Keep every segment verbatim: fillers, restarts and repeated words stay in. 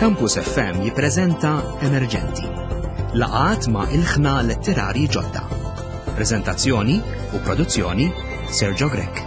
Campus F M jippreżenta Emerġenti. Laqgħat ma' ilħna letterari ġodda. Preżentazzjoni u produzzjoni Sergio Grech.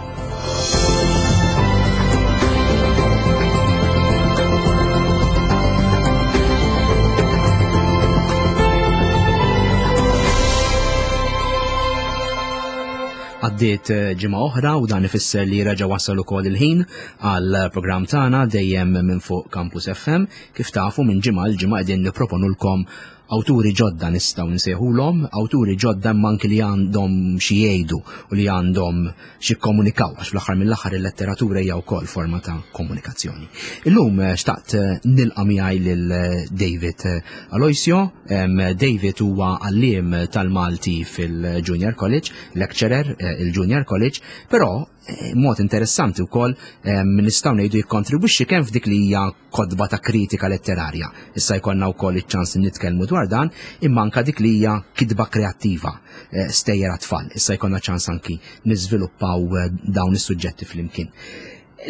Għaddiet ġimgħa oħra u dan ifisser li reġa' wasal ukoll il-ħin għal programm tagħna dejjem minn fuq Campus F M. Kif tafu minn ġimgħa l ġimgħa qegħdin nipproponulkom awturi ġodda nistgħu nsejħulhom, awturi ġodda imma anki li għandhom xi jgħidu u li għandhom xi jikkomunikaw, għax fl-aħħar mill-aħħar il-letteratura hija wkoll forma ta' komunikazzjoni. Illum xtaqt nilqa' miegħi lil David Aloisio. Em, David huwa għalliem tal-Malti fil-Junior College, lecturer, eh, il-Junior College, però, eh, mod interessanti wkoll, em, nistgħu ngħidu jikkontribwixxi kemm f'dik li hija kotba ta' kritika letterarja. Issa jkollna wkoll iċ-ċans li nitkellmu dwar dan, imma anke dik li hija kitba kreattiva, eh, stejjer għat-tfal. Issa jkollna ċans anki niżviluppaw, eh, dawn is-suġġetti flimkien.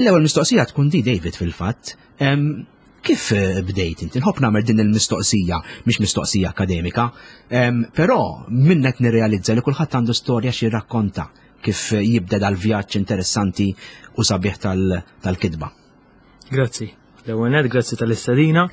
L-ewwel mistoqsija tkun di, David, fil-fatt. Em, kif, eh, bdejt inti? Nħobb nagħmel din il-mistoqsija, mhix mistoqsija akademika, em, però minnek nirrealizza li kulħadd għandu storja xi jirrakkonta kif jibda dal-vjaġġ interessanti u sabiħ tal-, tal-kitba. Grazzi. L-ewwel nett, grazzi tal-istedina.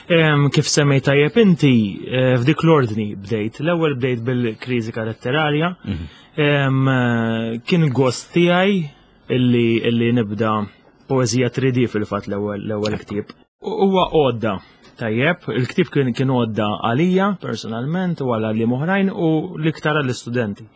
Em, kif semmejt tajjeb inti, eh, f'dik l-ordni bdejt. L-ewwel bdejt bil-kritika letterarja. Mhm. Em, eh, kien gost tiegħi illi, illi nibda poeżija tre D fil-fatt l-ewwel, l-ewwel ktieb. Huwa għodda tajjeb, il-ktieb kien, kien għodda għalija personalment u għal għalliem oħrajn u l-iktar għall-istudenti.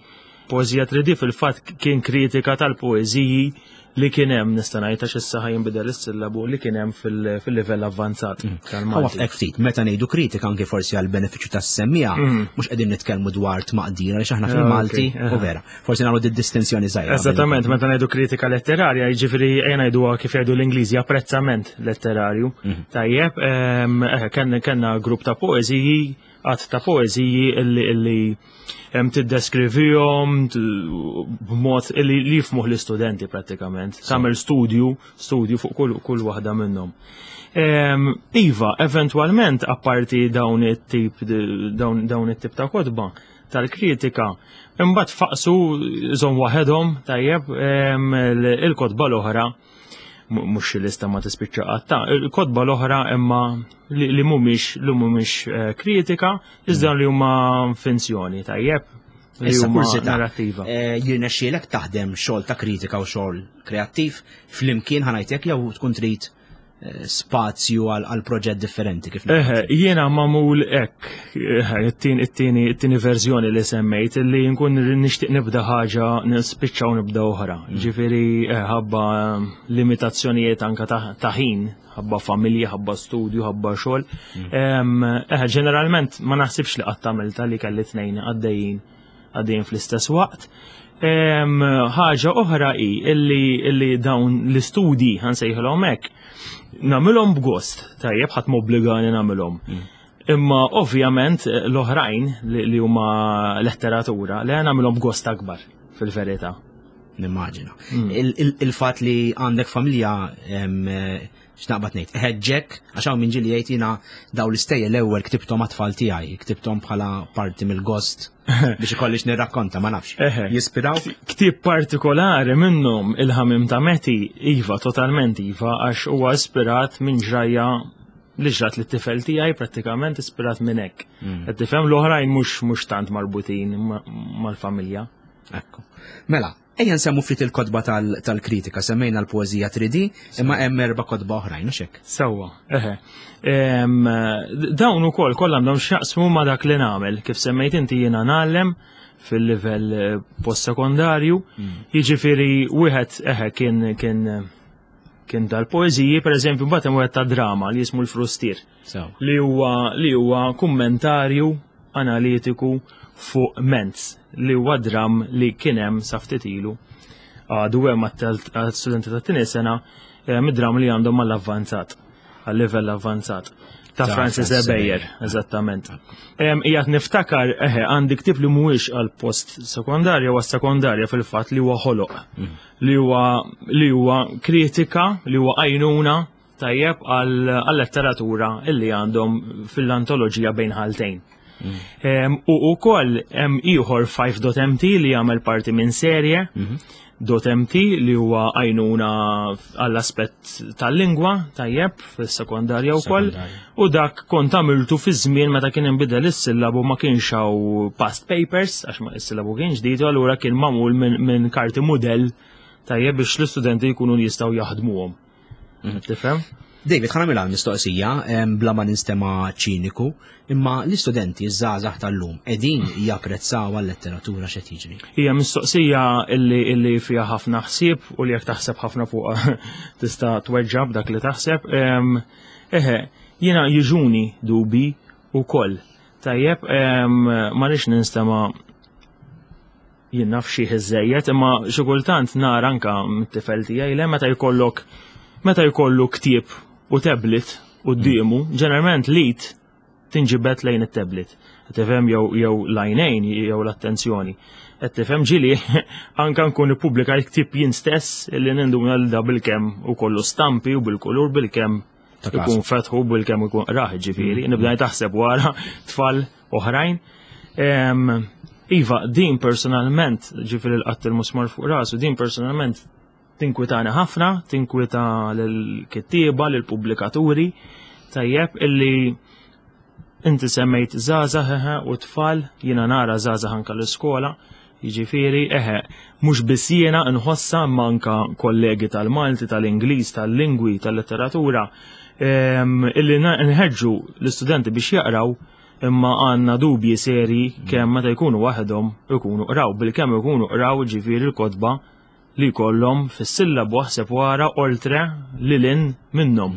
Poeżija tre D fil-fatt kien kritika tal-poeżiji li kien hemm, nista' ngħid għax issa ħa jinbidel is-sillabu, li kien hemm fil-, fil-livell avvanzat Mm. tal-Malti. Ħa ftit, meta ngħidu kritika anke forsi għal benefiċċju tas-semmija, Mm. mhux qegħdin nitkellmu dwar tmaqdir għaliex aħna Ah, fil-Malti ok. u vera. Forsi nagħmlu di distinzjoni żgħira. Eżattament, meta ngħidu kritika letterarja, jiġifieri ejja ngħiduha kif jgħidu l-Ingliżi, apprezzament letterarju. Mm. Tajjeb, ehm, eh, kenna, kenna grupp ta' poeżiji, għadd ta' poeżiji illi, illi hemm tiddeskrivihom t-, b'mod illi li jifhmuh l-istudenti prattikament. Sì. Tagħmel studju, studju fuq kull, kull waħda minnhom. Ehm, iva, eventwalment apparti dawn it-tip, dawn, dawn it-tip ta' kotba tal-kritika, imbagħad faqsu żomm waħedhom, tajjeb, ehm, il-, il-kotba l-oħra, mu-, mhux lista ma tispiċċa qatt, ta' il-kotba l-oħra imma li, li mhumiex, li mhumiex, eh, kritika, iżda li huma finzjoni, tajjeb, li Issa, huma kurżità, narrattiva. eh, jirnexxielek taħdem xogħol ta' kritika u xogħol kreattiv flimkien ħanajtek jew tkun trid, eh, spazju għal, għal proġett differenti kif Eħe, ngħid? jiena magħmul hekk, eħe, it-tieni, it-tieni, it-tieni verżjoni li semmejt li nkun nixtieq nibda ħaġa, nispiċċa u nibda oħra. Mm. Ġifieri, eh, ħabba limitazzjonijiet anka ta', ta' ħin, ħabba familja, ħabba studju, ħabba xogħol. Mm. Em, eħe, ġeneralment ma naħsibx li qatt għamilta li kelli tnejn għaddejjin, għaddejjin fl-istess waqt. Em, ħaġa oħra hi illi, illi dawn l-istudji ħansejħilhom hekk, nagħmilhom b'gost, tajjeb, ħadd m'obbligani nagħmilhom. Mm. Imma ovvjament l-oħrajn li, li huma letteratura li nagħmilhom b'gost akbar fil-verità. Nimmaġina. Mm. Il-, il-, il-fatt li għandek familja, em, x'naqbad ngħid, ħeġġek, għax hawn min ġieli jgħid jiena dawn l-istejjer l-ewwel ktibthom għat-tfal tiegħi, ktibthom bħala parti mill-gost biex ikollix nirrakkonta, ma nafx. Eħe. Jispiraw? Ktieb partikolari minnhom il-ħamim ta' Meti, iva, totalment iva, għax huwa ispirat minn ġrajja li ġrat lit-tifel tiegħi, prattikament ispirat minn hekk. Mm. Qed tifhem l-oħrajn mhux, mhux tant marbutin ma-, mal-familja. Ekku. Mela, ejja nsemmu ftit il-kotba tal-, tal-kritika, semmejna l-poeżija tre D, imma hemm erba' kotba oħrajn, mhux hekk? Sewwa, eħe. Em, dawn ukoll kollha għandhom x'jaqsmu ma' dak li nagħmel. Kif semmejt inti jiena ngħallem fil-livell, eh, postsekondarju, Mm. jiġifieri wieħed eħe kien, kien, kien tal-poeżiji, pereżempju, mbagħad hemm wieħed ta' drama li jismu l-Frustier. Sew. Li huwa, li huwa kummentarju analitiku fuq Menz, li huwa dram li kien hemm sa ftit ilu. Għadu hemm għat-studenti tat-tieni sena, eh, mid-dram li għandhom mal-avvanzat, għal-livell avvanzat. Ta' Ta' Francis Francis Ebejer, Ebejer. eżattament. Em, qiegħed niftakar, eħe, għandi ktieb li mhuwiex għal post sekondarja, huwa sekondarja fil-fatt li huwa ħoloq. Mm. Li huwa, li huwa kritika, li huwa għajnuna tajjeb għal-letteratura illi għandhom fil-antoloġija Bejn Ħaltejn. Mm. U ukoll hemm ieħor five dot M T li jagħmel parti minn serje mm -hmm. dot M T li huwa għajnuna għall-aspett tal-lingwa, tajjeb, fis-sekondarja wkoll. U dak kont għamiltu fi żmien meta kien inbidel is-sillabu, ma kienx hawn past papers għax ma is-sillabu kien ġdid, u allura kien magħmul minn min karti mudell, tajjeb, biex l-istudenti jkunu jistgħu jaħdmuhom. Mhm. Tifhem? David, ħa nagħmilha mistoqsija bla ma ninstema ċiniku, imma l-istudenti żgħażagħ tal-lum qegħdin japprezzaw għal-letteratura? X'qed jiġri? Hija mistoqsija illi illi fiha ħafna ħsieb u li jekk taħseb ħafna fuq tista' tweġġab dak li taħseb. Eħe, jiena jiġuni dubi ukoll. Tajjeb, ma rridx ninstema jien naf xi ħiżejjed, imma xi kultant nara anka mit-tifel tiegħi le meta jkollok meta jkollu ktieb u tablet quddiemu, ġeneralment l-id tinġibed lejn it-tablet. Tifhem, jew jew l-għajnejn jew l-attenzjoni. Qed tifhem, ġieli anka nkun ippubblika ktieb jien stess li ninduna l da bil-kemm u kollu stampi u bil-kulur, bil-kemm ikun fetħu, bil-kemm ikun raħ ġifieri, nibda taħseb wara tfal oħrajn. Iva, din personalment, ġifieri l-qatt il-musmar fuq rasu, din personalment tinkwitani ħafna, tinkwita l-kittieba, l-pubblikaturi, tajjeb, illi inti semmejt żgħażagħ u tfal, jiena nara żgħażagħ anka l-iskola, jiġifieri, eħe, mhux biss jiena nħossa manka kollegi tal-Malti, tal-Ingliż, tal-lingwi, tal-letteratura, illi nħeġġu l-istudenti biex jaqraw, imma għandna dubji seri kemm meta jkunu waħedhom ikunu qraw, bil-kemm ikunu qraw ġifieri l-kotba li jkollhom fis-sillabu, aħseb wara oltre li lin minnhom.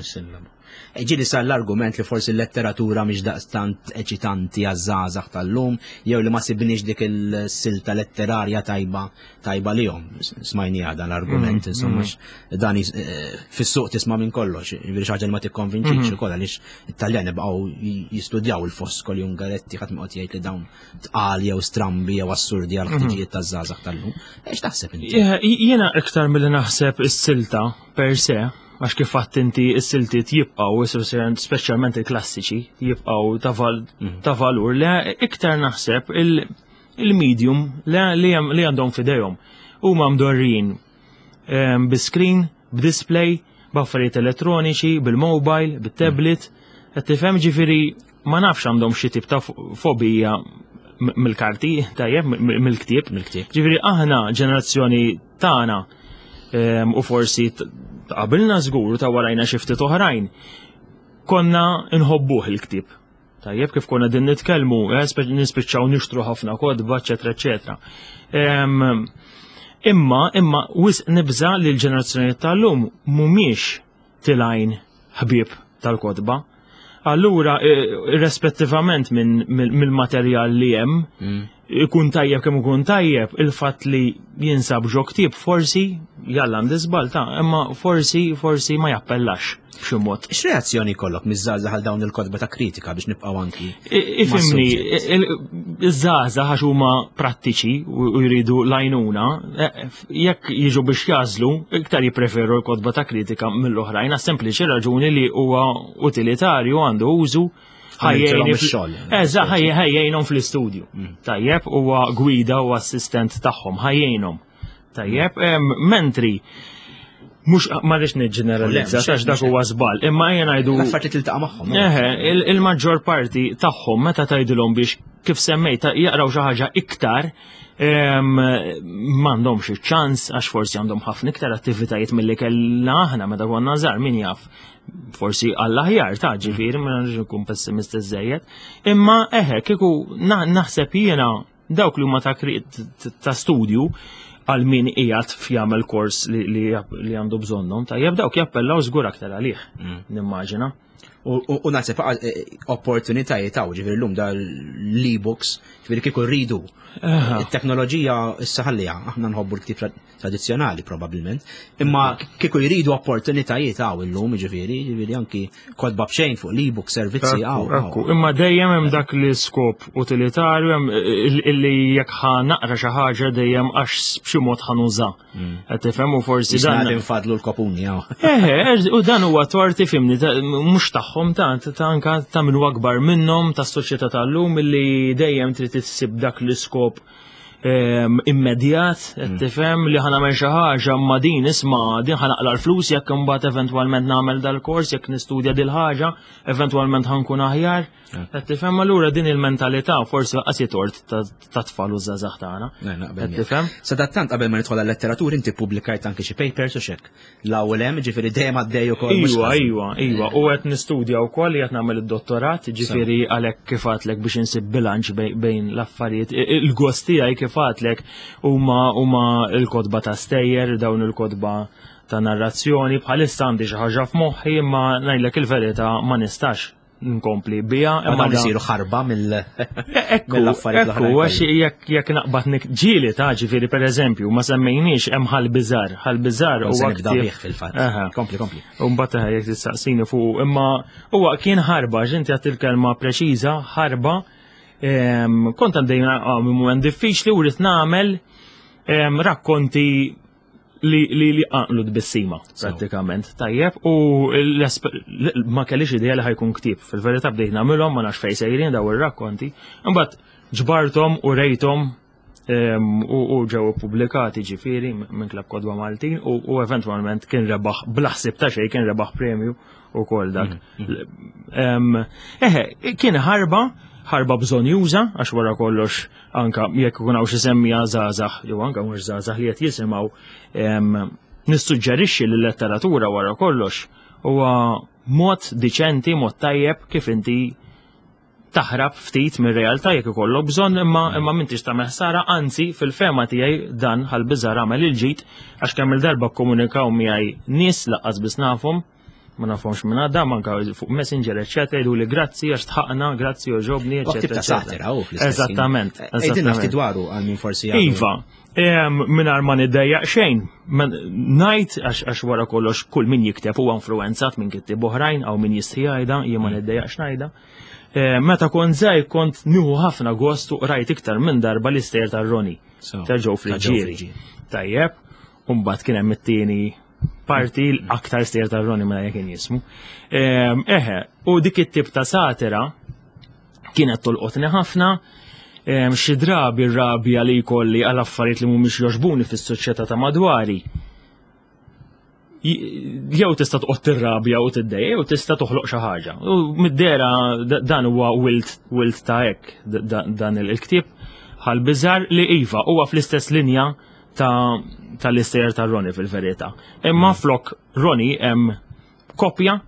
Ġieli sar l-argument li forsi l-letteratura mhix daqstant eċitanti għaż-żgħażagħ tal-lum, jew li ma sibniex dik il-silta letterarja tajba tajba lihom. Smajni dan l-argument, mm, insomma, mm. dan eh, fis-suq tisma' minn kollox, jiġifieri xi ħaġa li ma tikkonvinċix mm. ukoll għaliex it-Taljan baqgħu jistudjaw il-Foscoli, Ungaretti, ħadd ma jgħid li dawn tqal jew strambi jew assurdi għal ħtiġijiet taż-żgħażagħ tal-lum. Ex taħseb inti? Jiena iktar milli naħseb is-silta per se, għax kif għedt inti s-siltiet jibqaw, speċjalment il-klassiċi, jibqaw ta' mhm. valur, le iktar naħseb il-medium li għandhom fidejhom. Huma mdorrin bi-screen, b'display, b'affarijiet elettroniċi, bil-mobile, bit-tablet, qed tifhem, ġifieri ma nafx għandhom xi tip ta' fobija mill-karti, tajjeb, mill-ktieb. Mill-ktieb. Ġifieri aħna ġenerazzjoni tagħna u forsi qabilna żgur ta' warajna xi ftit oħrajn, konna nħobbuh il-ktieb. Tajjeb, kif konna din nitkellmu, eh, nispiċċaw nixtru ħafna kotba, eċetera, eċetera. Imma, imma, wisq nibża li l-ġenerazzjoni tal-lum mhumiex tilgħin ħbieb tal-kotba. Allura, irrispettivament mill-materjal li hemm, mm. ikun tajjeb kemm ikun tajjeb, il-fatt li jinsab ġo ktieb forsi, jalla għandi żball ta', imma forsi forsi ma jappellax b'xi mod. X'reazzjoni jkollok miż-żgħażagħ għal dawn il-kotba ta' kritika, biex nibqgħu anki? Ifhimni, iż-żgħażagħ għax huma prattiċi u jridu l-għajnuna, e, jekk jiġu biex jażlu, iktar jippreferu l-kotba ta' kritika mill-oħrajn, għas sempliċi raġuni li huwa utilitarju, għandu użu. Eżatt, ħa jgħinhom fl-istudju. Mm. Tajjeb, huwa gwida u assistent tagħhom, ħa jgħinhom. Tajjeb, mentri mhux ma rridx niġġeneralizza għax dak huwa żball, imma ejja ngħidu l-affarijiet li tiltaqa' magħhom. Eħe, il-maġġor parti tagħhom meta tgħidilhom biex, kif semmejt, jaqraw xi ħaġa iktar, m'għandhomx iċ-ċans għax forsi għandhom ħafna iktar attivitajiet milli kellna aħna meta konna żgħar, min jaf. Forsi għall-aħjar ta', ġifieri ma nridx nkun pessimist iżejjed. Imma eħe, kieku naħseb jiena dawk li huma ta' ta' studju, għal min qiegħed f'jagħmel kors li, li, li għandu bżonnhom, tajjeb, dawk jappellaw żgur aktar għalih, mm. nimmaġina. U naħseb eh, opportunitajiet hawn, ġifieri llum da l-e-books, ġifieri kieku rridu. Il-teknoloġija issa ħalliha, aħna nħobbu l-ktib tradizzjonali probabbilment, imma kieku jridu opportunitajiet hawn illum, ġifieri, ġifieri anki kotba b'xejn fuq l-e-book servizzi hawn. Imma dejjem hemm dak l-iskop utilitarju hemm illi jekk ħa naqra xi ħaġa dejjem għax b'xi mod ħa nuża. Mm. Qed tifhem u forsi dan. Infadlu l-kopuni hawn. Eħe, u dan huwa torti fimni, mhux tagħhom ta' ta' anka ta' min akbar minnhom tas-soċjetà tal-lum illi dejjem trid issib dak l-iskop ehm, immedjat, qed mm. tifhem li ħa nagħmel xi ħaġa ma din isma' din ħa naqla' l-flus jekk imbagħad eventwalment nagħmel dal-kors, jekk nistudja dil ħaġa, eventwalment ħa nkun aħjar. Qed tifhem allura din il-mentalità forsi qasi tort ta' tfal u żgħażagħ tagħna. Qed tifhem? Sadattant qabel ma nidħol għal-letteratura inti pubblikajt anke xi papers u xek. L-ewwel hemm ġifieri dejjem għaddej ukoll. Iwa, iwa, iwa. U qed nistudja wkoll qed nagħmel id-dottorat, ġifieri għalhekk kif għedtlek biex insib bilanċ bejn l-affarijiet. Il-gost tiegħi kif għedtlek huma huma l-kotba ta' stejjer, dawn il-kotba ta' narrazzjoni, bħalissa għandi xi ħaġa f'moħħi imma ngħidlek il-verità ma nistax nkompli bija. Imma dawn isiru ħarba mill mill-affarijiet l Ekku, għax jekk jekk naqbad ġieli ta' ġifieri pereżempju ma semmejniex hemm Ħal Biżar, Ħal Biżar huwa ktieb fil-fatt. Kompli, kompli. U mbagħad jekk tistaqsini fuq imma huwa kien ħarba, ġinti għat il-kelma preċiża, ħarba. Kont għaddejna minn mument diffiċli u rrid nagħmel rakkonti li li li għanqlu tbissima prattikament tajjeb u ma kellix idea li ħa jkun ktieb. Fil-verità bdejt nagħmilhom ma nafx fejn sejrin daw ir-rakkonti. Imbagħad ġbarthom u rejthom u ġew ippubblikati ġifieri minn Klabb Kotba Maltin u eventwalment kien rebaħ bla ħsieb ta' xejn kien rebaħ premju u kol dak. Mm, mm. Eħe, kien ħarba ħarba bżonjuża, għax wara kollox anka jekk ikun hawn xi semmija żgħażagħ, jew anka mhux żgħażagħ li qed jisimgħu, nissuġġerixxi li l-letteratura wara kollox huwa mod diċenti, mod tajjeb kif inti taħrab ftit mir-realtà jekk ikollok bżonn imma imma m'intix tagħmel ħsara, anzi fil-fehma tiegħi dan Ħal Biżar għamel il-ġid għax kemm il-darba kkomunikaw miegħi nies laqqas biss nafhom, ma nafhomx minn għadha, manka fuq Messenger, eċċetera, jgħidu li grazzi għax tħaqna, grazzi oġobni, eċċetera. Ta' satira u fl-istess. Eżattament. Għidilna ftit dwaru għal min forsi jgħidu. Iva, mingħajr ma niddejjaq xejn, ngħid għax wara kollox kull min jikteb huwa influenzat minn kittieb oħrajn għaw min jistħi jgħidha, jien ma niddejjaqx ngħidha. Meta kont żgħir kont nieħu ħafna gost u qrajt iktar minn darba l-istejjer tar-Roni. Ta' Joe Friggieri. Tajjeb, u mbagħad kien hemm it-tieni parti l-aktar stejjer tar-Roni mela jekk jismu. Eħe, u dik it-tip ta' satira kienet tolqotni ħafna, xi drabi r-rabja li jkolli għal affarijiet li mhumiex jogħġbuni fis-soċjetà ta' madwari. Jew tista' toqgħod tirrabja u tiddejja, jew tista' toħloq xi ħaġa. U mid-dera dan huwa wilt wilt ta' hekk dan il-ktieb Ħal Biżar li iva huwa fl-istess linja ta' tal-istejjer ta' Roni fil-verità. Imma mm. flok Roni hemm kopja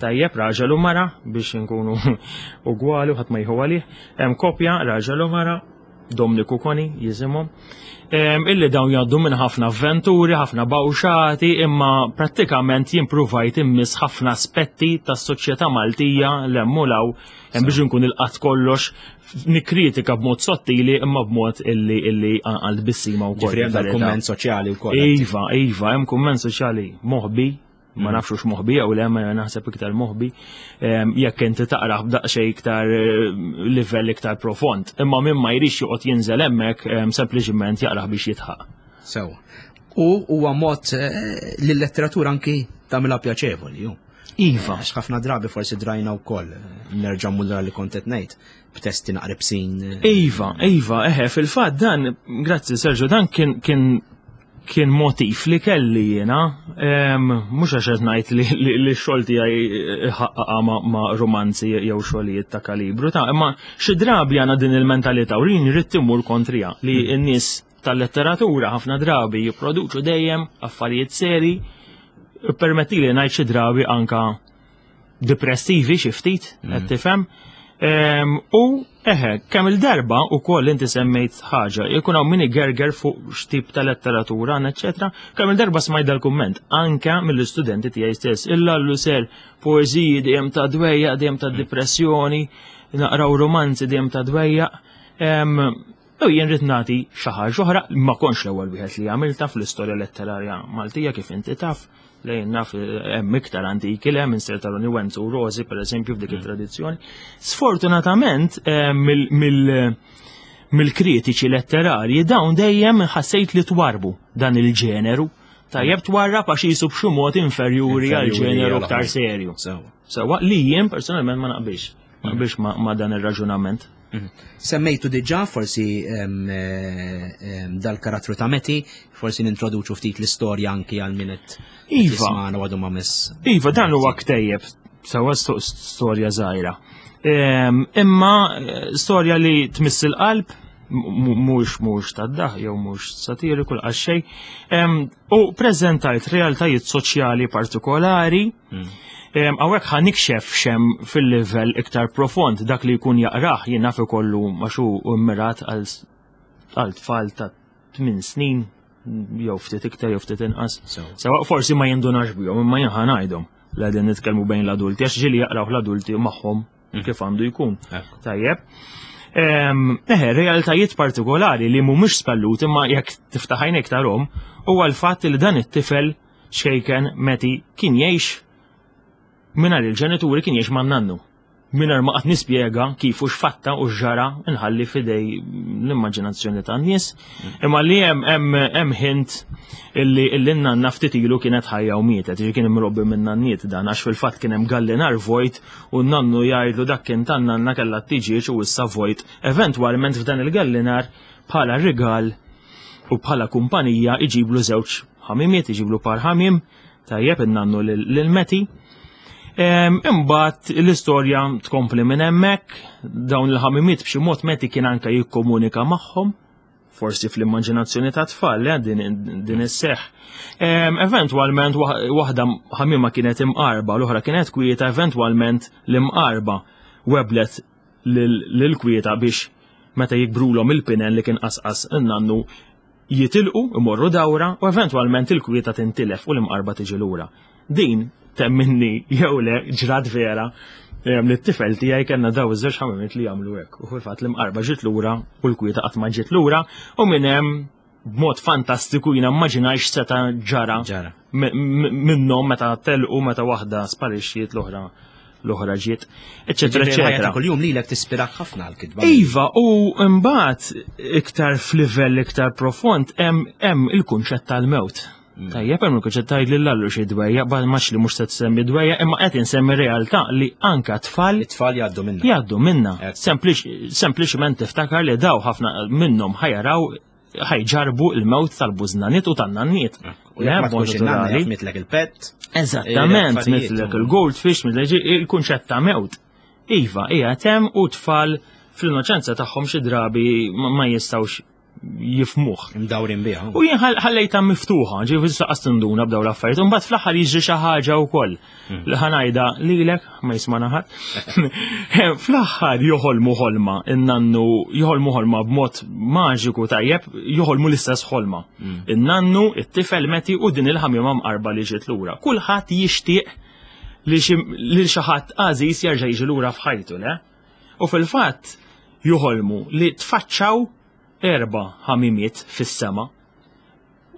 tajjeb raġel u mara biex nkunu ugwali u ħadd ma jieħu għalih, hemm kopja raġel u mara Dominiku Koni jisimhom, illi dawn jgħaddu minn ħafna avventuri, ħafna bawxati, imma prattikament jimpruvajt immiss ħafna aspetti tas-soċjetà Maltija l-hemm u law hemm biex nkun il-qatt kollox nikkritika b'mod sottili imma b'mod illi illi għal tbissima wkoll. Ġifieri hemm dal-kumment soċjali wkoll. Iva, iva, hemm kumment soċjali moħbi, ma nafx hux moħbi jew le, ma naħseb iktar moħbi, jekk inti taqrah b'daqsxejn iktar livell iktar profond. Imma min ma jridx joqgħod jinżel hemmhekk sempliċiment jaqrah biex jitħaq. Sew. U huwa mod li l-letteratura anki tagħmilha pjaċevoli, ju. Iva. Għax ħafna drabi forsi drajna wkoll, nerġa' mmur li kont qed ngħid, b'testi naqribsin. Iva, iva, eħe, fil-fatt dan, grazzi Sergio, dan kien kien kien motiv li kelli jiena, mhux għax qed ngħid li, li, li x-xogħol tiegħi ħaqqaqa ma, ma romanzi jew xogħlijiet ta' kalibru ta' imma xi drabi għandna din il-mentalità u jien rrid immur kontrija li n-nies tal-letteratura ħafna drabi jipproduċu dejjem affarijiet seri, permetti li ngħid xi drabi anka depressivi xi ftit, qed tifhem. U Eħe, kemm il-darba ukoll inti semmejt ħaġa, jkun hawn min igerger fuq x'tip ta' letteratura, eċetera. Kemm il-darba smajt dal-kumment anke mill-istudenti tiegħi stess. Illallu ser poeżiji dejjem ta' dwejjaq, dejjem ta' depressjoni, naqraw romanzi dejjem ta' dwejjaq. U jien rrid nagħti xi ħaġa oħra, ma kontx l-ewwel wieħed li għamilta fl-istorja letterarja Maltija kif inti taf, lejn naf hemm iktar antiki le minn Sir Taroni Wenzu u Rosi pereżempju f'dik mm. it-tradizzjoni. Sfortunatament mill-kritiċi letterarji dawn dejjem ħassejt li twarbu dan il-ġeneru. Tajjeb twarrab għax jisu b'xi mod inferjuri għal ġeneru aktar serju. Sewa li jien personalment ma naqbilx. Ma naqbilx ma dan ir-raġunament. Mhm. Semmejtu diġà forsi dal-karattru ta' Meti, forsi nintroduċu ftit l-istorja anki għal min qed Iva. għadu ma miss. Iva, dan huwa ktejjeb, sewa storja żgħira. Imma eh, storja li tmiss il-qalb, mhux mhux tad-daħ jew mhux satiriku l xejn, u preżentajt realtajiet soċjali partikolari. Mm. Hawnhekk ħa nikxef xem fil-livell iktar profond dak li jkun jaqrah jien naf ikollu għax hu mmirat għal tfal ta' tmien snin jew ftit iktar jew ftit inqas. Sewa forsi ma jindunax bihom imma jien ħa ngħidhom li qegħdin nitkellmu bejn l-adulti għax ġieli jaqraw l-adulti magħhom mm. kif għandu jkun. Tajjeb. Eħe, realtajiet partikolari li mhumiex spellut imma jekk tiftaħ għajnejk tarhom huwa l-fatt li dan it-tifel xejken Meti kien jgħix mingħajr il-ġenituri, kien jgħix man-nannu. Mingħajr ma qatt nispjega kif u x'fatta u x'ġara, nħalli fidej l-immaġinazzjoni tan-nies. Imma li hemm hemm hemm hint illi illi n-nanna ftit ilu kienet ħajja u mietet, ġi kien imrobbi minn nanniet dan għax fil-fatt kien hemm gallinar vojt u n-nannu jgħidlu dak kien tan-nanna kellha t-tiġieġ u issa vojt. Eventwalment f'dan il-gallinar bħala rigal u bħala kumpanija iġiblu żewġ ħamimiet, iġiblu par ħamim, tajjeb in-nannu lil Meti. Imbagħad l-istorja tkompli minn hemmhekk, dawn il-ħamimiet b'xi mod Meti kien anke jikkomunika magħhom, forsi fl-immaġinazzjoni ta' tfal, eh, din, din isseħ. Eventwalment waħda ħamima kienet imqarba, l-oħra kienet kwieta, eventwalment l-imqarba weblet lil kwieta biex meta jikbrulhom il-pinen li kien qasqas in-nannu jitilqu, imorru dawra u eventwalment il-kwieta tintilef u l-imqarba tiġi lura. Din temminni jew le ġrat vera li t-tifel tiegħi kellna daw iż-żewġ ħamimiet li jagħmlu hekk. U fil-fatt l-imqarba ġiet lura u l-kwieta qatt ma ġiet lura u minn hemm b'mod fantastiku jiena immaġinajx seta' ġara minnhom meta telqu, meta waħda sparixxiet, l-oħra l-oħra ġiet, eċetera, eċetera. Kuljum lilek tispirak ħafna l-kitba. Iva, u mbagħad iktar f'livell iktar profond hemm il-kunċett tal-mewt. Mm. Tajjeb, hemm il-kunċett tgħid lil Allu xi dwejja, bal max li mhux se tsemmi dwejja, imma qed insemmi realtà li anka tfal it-tfal jgħaddu minna. Jgħaddu minna. Sempliċement tiftakar li daw ħafna minnhom ħajaraw ħajġarbu il-mewt tal-bużnaniet u tan-nanniet. U jekk ma tkunx in-nanna mitlek il-pet. Eżattament, mitlek il-goldfish, mitlek il-kunċett ta' mewt. Iva, hija hemm u tfal fl-innoċenza tagħhom xi drabi ma jistgħux jifmuh. Imdawrin biha. U jien ħallejta miftuħa, ġifieri saqas tinduna b'daw l-affarijiet. Imbagħad fl-aħħar jiġri xi ħaġa wkoll. Hmm. Li ħanajda lilek ma jisma' ħadd. Fl-aħħar joħolmu ħolma, in-nannu joħolmu ħolma b'mod maġiku tajjeb, joħolmu l-istess ħolma. Hmm. In-nannu, it-tifel Meti u din il-ħamiema mqarba li ġiet lura. Kulħadd jixtieq li xi ħadd għażiż jerġa' jiġi lura f'ħajtu, le? U fil-fatt joħolmu li tfaċċaw erba' ħamimiet fis-sema.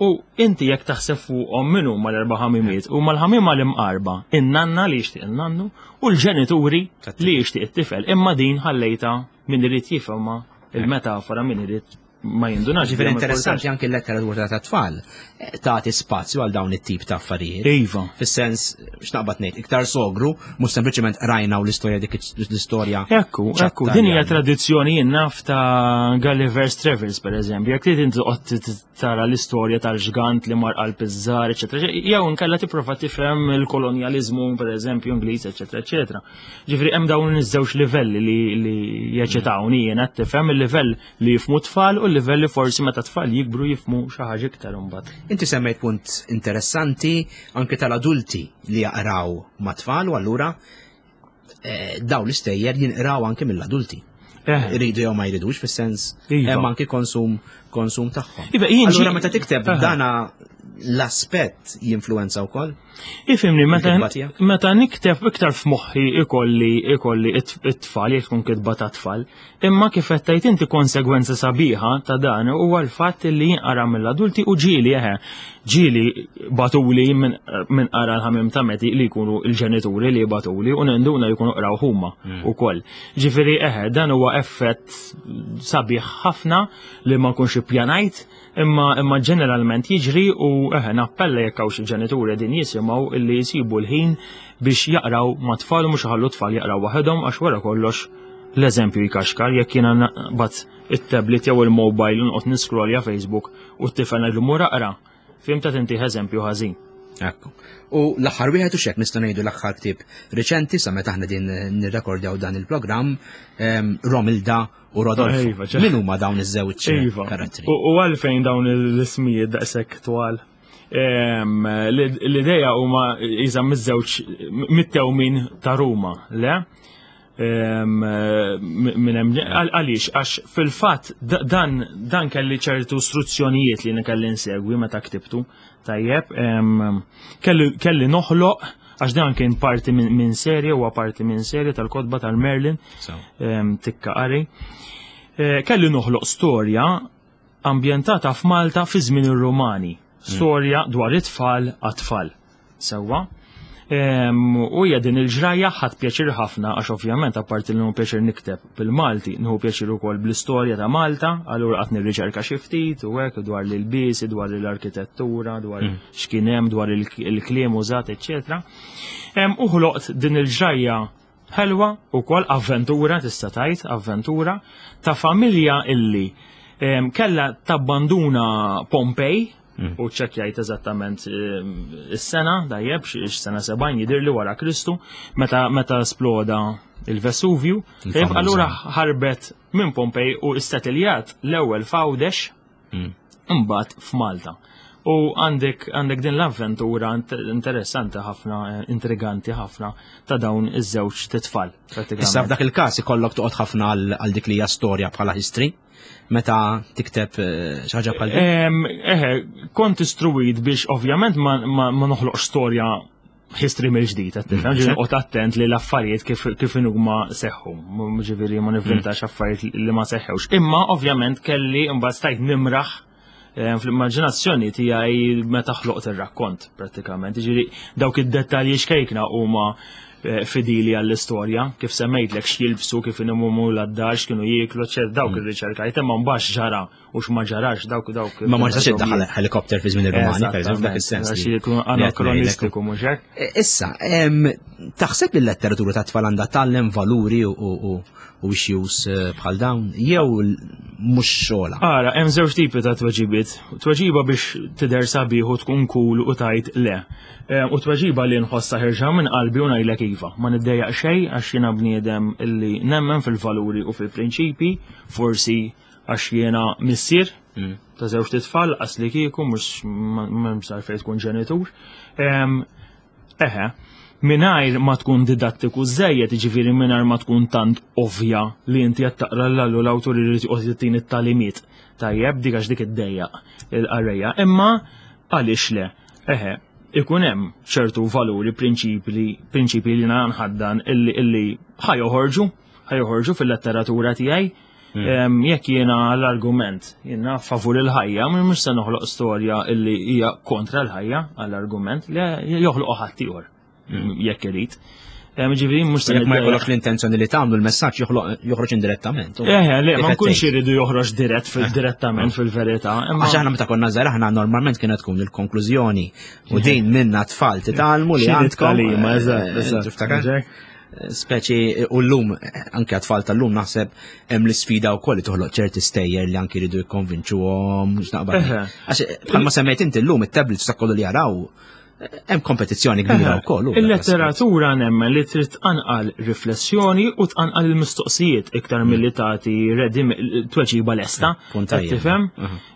U inti jekk taħseb fuqhom min huma l-erba' ħamimiet, huma l-ħamima l-imqarba, in-nanna li jixtieq in-nannu u l-ġenituri li jixtieq it-tifel. Imma din ħallejta min irid jifhimha il-metafora, min irid ma jindunax. Ġifieri interessanti anke l-letteratura ta' tfal eh, tagħti spazju għal dawn it-tip ta' affarijiet. Iva. Fis-sens, x'naqbad ngħid, iktar sogru, mhux sempliċement rajna u l-istorja dik l-istorja. Ekku, ekku, din hija tradizzjoni jien naf ta' Gulliver's Travels pereżempju, jekk trid inti toqgħod tara l-istorja tal-ġgant li mar qalb iż-żgħar, eċetera, jew inkella tipprova tifhem il-kolonjaliżmu pereżempju Ingliż, eċetera, eċetera. Ġifieri hemm dawn iż-żewġ livelli li, li jeċitawni jiena tifhem il-livell li jifmu tfal u l-livell li forsi meta tfal jikbru jifmu xi ħaġa iktar imbagħad. Inti semmejt punt interessanti anke tal-adulti li jaqraw ma' tfal u allura eh, dawn l-istejjer jinqraw anke mill-adulti. Iridu jew ma jridux, fis-sens Iva. hemm anki konsum konsum tagħhom. Iva, jien Allura ġi- meta tikteb Eħe. dana l-aspett jinfluenza wkoll? Ifhimni, meta, Il-kitba tiegħek? meta nikteb iktar f'moħħi ikolli ikolli it- it-tfal, jekk tkun kitba ta' tfal, imma kif qed tgħid inti, konsegwenza sabiħa ta' dan huwa l-fatt li jinqara mill-adulti u ġieli eħe, ġieli bagħtuli minn min qara l-Ħamiem ta' Meti li jkunu il-ġenituri li bagħtuli u ninduna li jkunu qraw huma ukoll. Ġifieri eħe, dan huwa effett sabiħ ħafna li ma nkunx ippjanajt, imma imma ġeneralment jiġri u eħe, nappella jekk hawn xi ġenituri din jisimgħu illi jsibu l-ħin biex jaqraw ma' tfal u mhux iħallu tfal jaqraw waħedhom, għax wara kollox l-eżempju jkaxkar. Jekk jiena naqbad it-tablet jew il-mobile u noqgħod niscrollja Facebook u t-tifel ngħidlu mur aqra, fhimt, inti eżempju ħażin. Ekku. U l-aħħar wieħed, u xek nista' ngħidu l-aħħar ktieb riċenti sa meta aħna din nirrekordjaw dan il-programm, em, Romilda u Rodolfo. Iva, ċe- Min huma dawn iż-żewġ Iva. karattri? U u għalfejn dawn l-ismijiet daqshekk twal? Em, l- L-ideja huma iżam miż-żewġ mit-tewmin ta' Ruma, le? Em, Minn hemm għal- għaliex, għax fil-fatt da- dan dan kelli ċertu istruzzjonijiet li kelli nsegwi meta ktibtu. Tajjeb, em, kelli kelli noħloq, għax dan kien parti minn min serje, huwa parti minn serje tal-kotba tal-Merlin, So. em, tikka qari. Eh, Kelli noħloq storja ambjentata f'Malta fi żmien ir-Rumani. Storja dwar it-tfal għat-tfal. Sewwa. Em, U hija din il-ġrajja, ħadt pjaċir ħafna għax ovvjament apparti li nieħu pjaċir nikteb bil-Malti, nieħu pjaċir ukoll bl-istorja ta' Malta, allura qatt nirriċerka xi ftit u hekk dwar l-ilbiesi, dwar l-arkitettura, dwar x'kien hemm, dwar il- il-kliem użat, eċċetera. Em, U ħloqt din il-ġrajja ħelwa ukoll, avventura, tista' tgħid, avventura ta' familja illi em, kella tabbanduna Pompej u ċċekkjajt eżattament em, is-sena, tajjeb, xi sena sebgħin jidir li wara Kristu, meta meta sploda il-Vesuvju. Tajjeb, Il-famuża. allura ħarbet minn Pompej u istatiljat l-ewwel f'Għawdex, imbagħad f'Malta. U għandek għandek din l-avventura int- interessanti ħafna, eh, intriganti ħafna ta' dawn iż-żewġ titfal. Issa f'dak il-każ ikollok toqgħod ħafna għal għal dik li hija storja bħala history meta tikteb eh, xi ħaġa bħal din. Em, Eħe, kont istruwit biex ovvjament ma, ma, ma noħloqx storja history mill-ġdid, qed tifhem, ġifieri noqgħod attent li l-affarijiet kif kif huma seħħu, M- ġifieri ma nivvintax affarijiet li ma seħħewx. Imma ovvjament kelli imbagħad stajt nimraħ eh, fl-immaġinazzjoni tiegħi meta ħloqt ir-rakkont prattikament. Ġifieri dawk id-dettalji xkejkna huma eh, fidili għall-istorja, kif semmejtlek x'jilbsu, kif inimumu l-addar, x'kienu jieklu, eċċetera, dawk ir-riċerkajt, imma mbagħad x'ġara u x'ma ġarax, dawk dawk. Ma ma nistax iddaħħal helikopter fi żmien ir-Rumani, per eżempju, f'dak is-sens. Għax li- jkun li qed ngħidlek. anakronistiku, mhux hekk? E, Issa, em, taħseb li l-letteratura ta' tfal għandha tgħallem valuri u, u, u issues eh, bħal dawn, jew l- mhux xogħla? Ara, hemm żewġ tipi ta' tweġibiet. Tweġiba biex tidher sabiħ u tkun cool u tgħid le. Eh, U tweġiba li nħossha ħerġa minn qalbi u ngħidlek iva. Ma niddejjaq xejn għax jiena bniedem illi nemmen fil-valuri u fil-prinċipi, forsi għax jiena missier ta' żewġ titfal, qas li kieku mhux m'hemmx fejn tkun ġenitur. Em, Eħe, mingħajr ma tkun didattiku żejjed, ġifieri mingħajr ma tkun tant ovvja li inti qed taqra l l-awtur irid joqgħod jittini t-tagħlimiet. Tajjeb, dik għax dik iddejjaq il-qarrejja. Imma għaliex le? Eħe, ikun hemm ċertu valuri, prinċipi, prinċipi li nħaddan illi illi ħa joħorġu, ħa joħorġu fil-letteratura tiegħi. Em, Jekk jiena l-argument, jiena favur il-ħajja, mhux se noħloq storja illi hija kontra l-ħajja għall-argument li joħloq ħadd ieħor jekk irid. Em, Ġifieri mhux se Jekk ma niddejjaq. jkollok l-intenzjoni li tagħmlu, l-messaġġ joħloq- joħroġ indirettament. Eħe, le, ma Kif qed nkunx tgħid. iridu joħroġ dirett fil direttament fil-verità. Imma Għax aħna meta konna żgħar, aħna normalment kienet tkun il-konklużjoni u din minna tfal titgħallmu li Xi għandkom. tagħlima, eh, eżatt, eżatt. Tiftakar? Ġek? Speċi u llum anke għat-tfal tal-lum naħseb hemm l-isfida wkoll li toħloq ċerti stejjer li anke jridu jikkonvinċuhom mhux naqbad. Eħe. Għax bħalma semmejt inti, llum it-tablets ta' kollu li jaraw Hemm kompetizzjoni kbira wkoll. Il-letteratura nemmen li trid tqanqal riflessjoni u tqanqal il-mistoqsijiet iktar milli tagħti ready tweġiba lesta. Tifhem?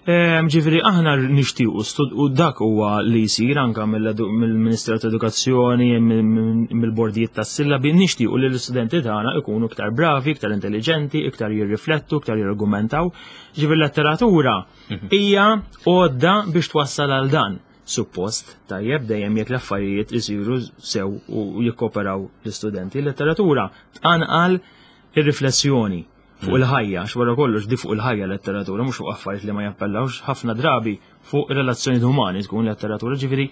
Ġifieri aħna nixtiequ u dak huwa li jsir anke mill-Ministeru ta' Edukazzjoni, mill-bordijiet tas-sillabi, nixtiequ li l-istudenti tagħna ikunu iktar bravi, iktar intelligenti, iktar jirriflettu, iktar jirargumentaw. Ġifieri letteratura hija għodda biex twassal għal dan. Suppost, tajjeb, dejjem jekk l-affarijiet isiru sew u jikkoperaw l-istudenti. Letteratura tqanqal ir-riflessjoni fuq il-ħajja, għax wara kollox di fuq il-ħajja letteratura, mhux fuq affarijiet li ma jappellawx, ħafna drabi fuq relazzjoni umani tkun letteratura, ġifieri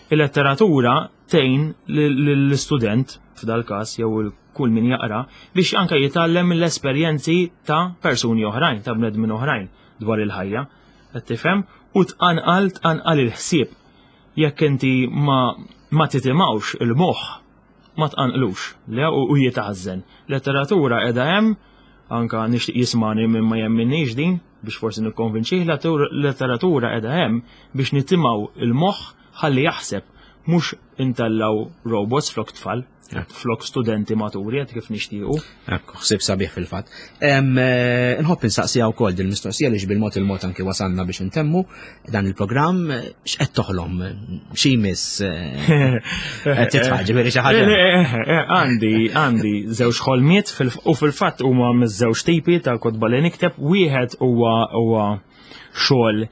il-letteratura tgħin l-istudent f'dal każ jew kull min jaqra biex anke jitgħallem mill-esperjenzi ta' persuni oħrajn, ta' bnedmin oħrajn dwar il-ħajja. Qed tifhem? U tqanqal tqanqal il-ħsieb. Jekk inti ma ma titimgħux il-moħħ, ma tqanqlux, le u jitaħżen. Letteratura qiegħda hemm, anka nixtieq jismani minn ma jemminniex din biex forsi nikkonvinċih, letteratura qiegħda hemm biex nitimgħu il-moħħ ħalli jaħseb, mhux intellaw robots flok tfal, flok studenti maturi qed kif nixtiequ. Ekku, ħsieb sabiħ fil-fatt. Nħobb insaqsija wkoll din mistoqsija li bil-mod il-mod anki wasalna biex intemmu dan il-programm, x'qed toħlom, xi jmiss qed titfa' ġifieri xi ħaġa. Għandi għandi żewġ ħolmiet u fil-fatt huma miż-żewġ tipi ta' kotba li nikteb, wieħed huwa huwa xogħol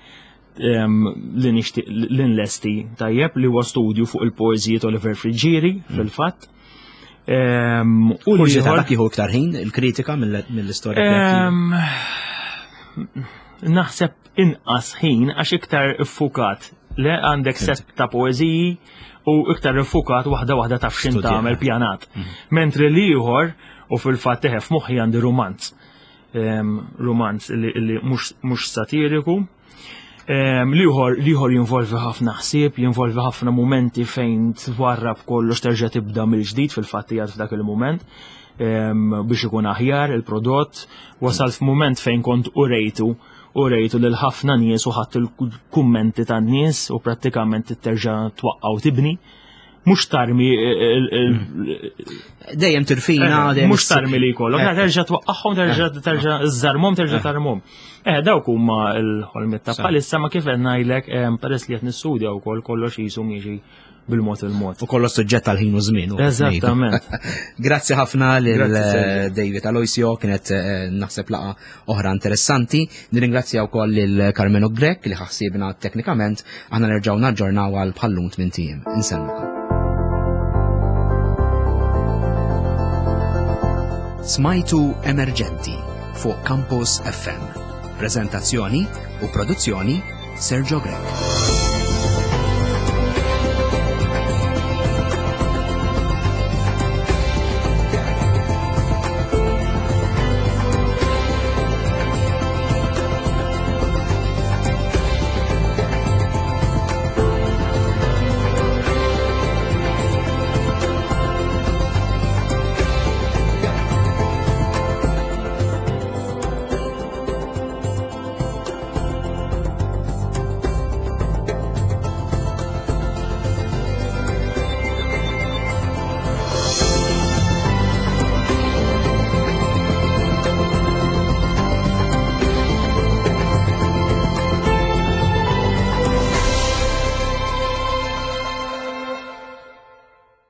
li nixtieq li nlesti tajjeb li huwa studju fuq il-poeżiji ta' Oliver Friggieri fil-fatt. U li dak jieħu iktar ħin il-kritika mill-istorja. Naħseb inqas ħin għax iktar iffukat. Le għandek set ta' poeżiji u iktar iffukat waħda waħda taf x'in tagħmel pjanat. Mentri l-ieħor u fil-fatt teħef moħħi għandi romanz. Romanz li mhux satiriku. Liħor liħor jinvolvi ħafna ħsieb, jinvolvi ħafna momenti fejn twarrab kollox terġa' tibda mill-ġdid fil-fatt qiegħed f'dak il-moment biex ikun aħjar il-prodott. Wasal f'mument fejn kont urejtu urejtu lil ħafna nies u ħadd il-kummenti tan-nies u prattikament terġa' twaqqgħu tibni. Mhux tarmi dejjem tirfina, mhux tarmi li jkollok, terġa' twaqqagħhom, terġa' terġa' żżarmhom, terġa' tarmhom. Eh, dawk huma l-ħolmiet ta' bħalissa ma kif qed ngħidlek peress li qed nistudja wkoll kollox qisu miexi bil-mod il-mod. U kollox suġġett għal ħin u żmien. Eżattament. Grazzi ħafna lil David Aloisio, kienet naħseb laqa oħra interessanti. Nirringrazzja wkoll lil Carmelo Grech li ħassibna teknikament. Aħna nerġgħu naġġornaw għal bħallum tmien ijiem. Insellmukom. Smajtu Emerġenti fuq Campus F M. Prezentazzjoni u produzzjoni Sergio Grech.